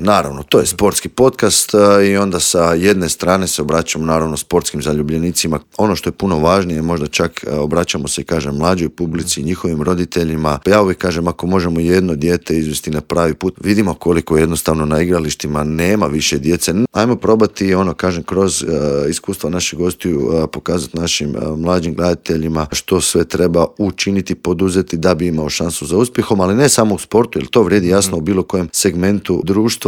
Naravno, to je sportski podcast i onda sa jedne strane se obraćamo naravno sportskim zaljubljenicima. Ono što je puno važnije, možda čak obraćamo se, kažem, mlađoj publici, njihovim roditeljima. Ja uvijek kažem, ako možemo jedno dijete izvesti na pravi put, vidimo koliko jednostavno na igralištima nema više djece. Ajmo probati, kažem, kroz iskustva naših gostiju pokazati našim mlađim gledateljima što sve treba učiniti, poduzeti da bi imao šansu za uspjehom, ali ne samo u sportu, jer to vrijedi jasno u bilo kojem segmentu društva.